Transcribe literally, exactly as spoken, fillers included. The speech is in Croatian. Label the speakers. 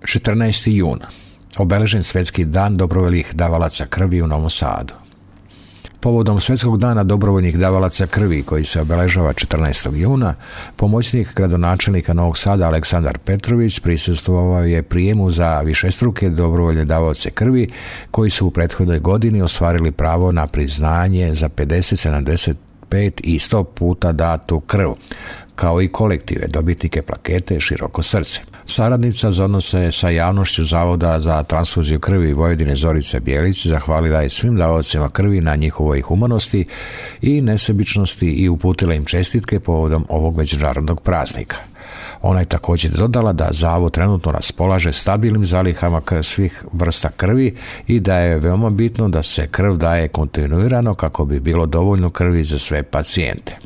Speaker 1: četrnaesti jun. Obeležen Svjetski dan dobrovoljnih davalaca krvi u Novom Sadu. Povodom Svjetskog dana dobrovoljnih davalaca krvi koji se obeležava četrnaestog juna, pomoćnik gradonačelnika Novog Sada Aleksandar Petrović prisustvovao je prijemu za višestruke dobrovoljne davaoce krvi koji su u prethodnoj godini ostvarili pravo na priznanje za pedeset, sedamdeset pet i sto puta datu krv, kao i kolektive, dobitnike plakete Široko srce. Saradnica za odnose sa javnošću Zavoda za transfuziju krvi Vojvodine Zorica Bijelić zahvalila je svim davaocima krvi na njihovoj humanosti i nesebičnosti i uputila im čestitke povodom ovog međunarodnog praznika. Ona je također dodala da Zavod trenutno raspolaže stabilnim zalihama svih vrsta krvi i da je veoma bitno da se krv daje kontinuirano kako bi bilo dovoljno krvi za sve pacijente.